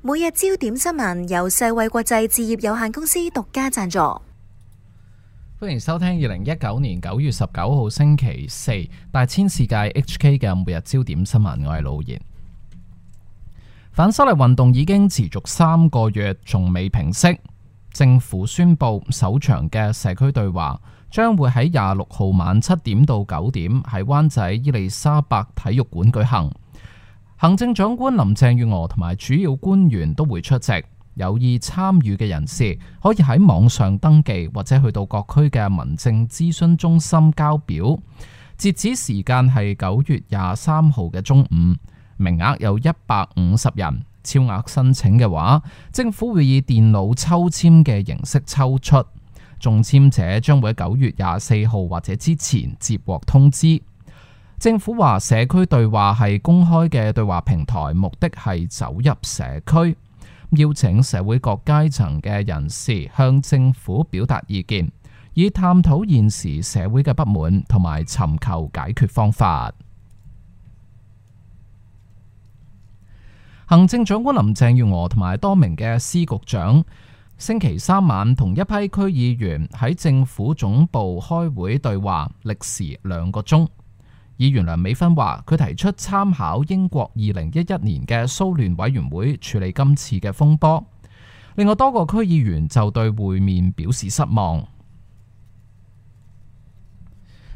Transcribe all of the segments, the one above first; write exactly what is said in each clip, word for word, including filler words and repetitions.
每日焦點新聞由世衛國際置業有限公司獨家贊助。歡迎收聽二零一九年九月十九號星期四大千世界 H K 嘅每日焦點新聞，我係老言。反修例運動已經持續三個月，仲未平息。政府宣布首場嘅社區對話將會喺廿六號晚七點到九點喺灣仔伊利沙伯體育館舉行。行政長官林鄭月娥同埋主要官員都會出席。有意參與嘅人士可以喺網上登記，或者去到各區嘅民政諮詢中心交表。截止時間係九月廿三號嘅中午，名額有一百五十人。超額申請嘅話，政府會以電腦抽籤嘅形式抽出，中籤者將會喺九月廿四號或者之前接獲通知。政府話社區對話係公開嘅對話平台，目的係走入社區，邀請社會各階層嘅人士向政府表達意見，以探討現時社會嘅不滿同埋尋求解決方法。行政長官林鄭月娥同埋多名嘅司局長星期三晚同一批區議員喺政府總部開會對話，歷時兩個鐘。議員梁美芬話，佢提出參考英國二零一一年嘅騷亂委員會處理今次嘅風波。另外多個區議員就對會面表示失望。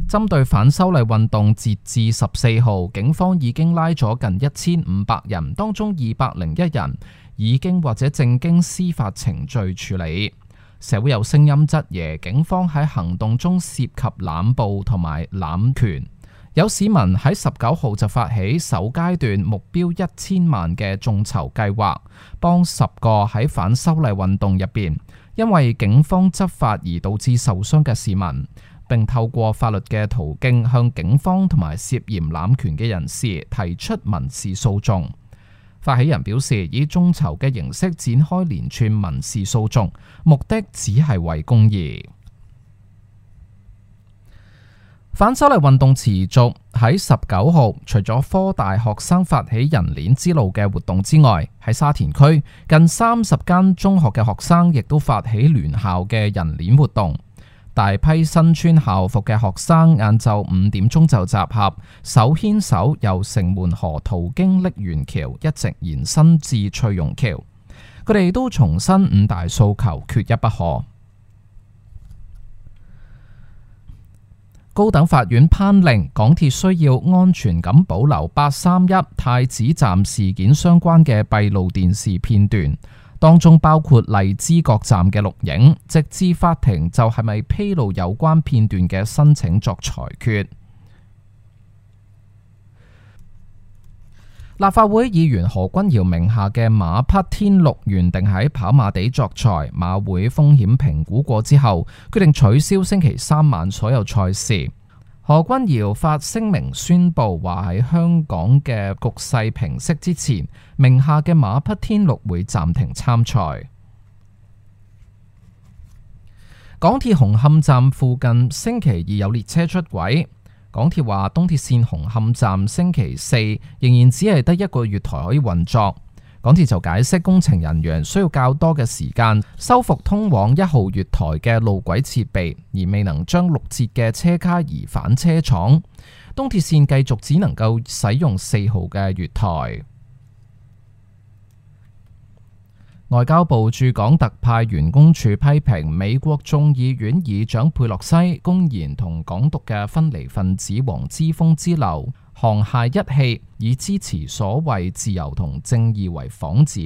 針對反修例運動，截至十四號，警方已經拉咗近一千五百人，當中二百零一人已經或者正經司法程序處理。社會有聲音質疑警方喺行動中涉及濫捕同埋濫權。有市民喺十九號就發起首階段目標一千萬嘅眾籌計劃，幫十個喺反修例運動入邊因為警方執法而導致受傷嘅市民，並透過法律嘅途徑向警方同埋涉嫌濫權嘅人士提出民事訴訟。發起人表示，以眾籌嘅形式展開連串民事訴訟，目的只係為公義。反修例運動持續，喺十九號，除咗科大學生發起人鏈之路嘅活動之外，喺沙田區近三十間中學嘅學生亦都發起聯校嘅人鏈活動。大批身穿校服嘅學生晏晝五點鐘就集合，手牽手由城門河途經瀝源橋一直延伸至翠榕橋。佢哋都重申五大訴求，缺一不可。高等法院頒令，港鐵需要安全咁保留八三一太子站事件相關嘅閉路電視片段，當中包括荔枝角站嘅錄影，直至法庭就係咪披露有關片段嘅申請作裁決。立法會議員何君堯名下嘅馬匹天鹿原定喺跑馬地作賽，馬會風險評估過之後，決定取消星期三晚所有賽事。何君堯發聲明宣布話喺香港嘅局勢平息之前，名下嘅馬匹天鹿會暫停參賽。港鐵紅磡站附近星期二有列車出軌。港鐵話東鐵綫紅磡站星期四仍然只係得一個月台可以運作。港鐵就解釋工程人員需要較多嘅時間修復通往一號月台嘅路軌設備，而未能將六節嘅車卡移返車廠。東鐵綫繼續只能夠使用四號嘅月台。外交部駐港特派員公署批評美國眾議院議長佩洛西公然同港獨嘅分離分子黃之鋒之流沆瀣一氣，以支持所謂自由同正義為幌子，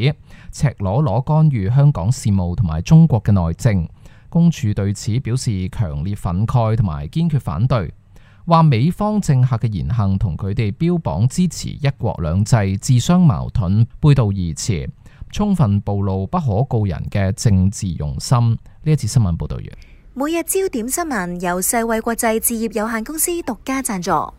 赤裸裸干預香港事務同埋中國嘅內政。公署對此表示強烈憤慨同埋堅決反對，話美方政客嘅言行同佢哋標榜支持一國兩制自相矛盾，背道而馳，充分暴露不可告人嘅政治用心。呢一次新聞報道完。每日焦點新聞由世衛國際置業有限公司獨家贊助。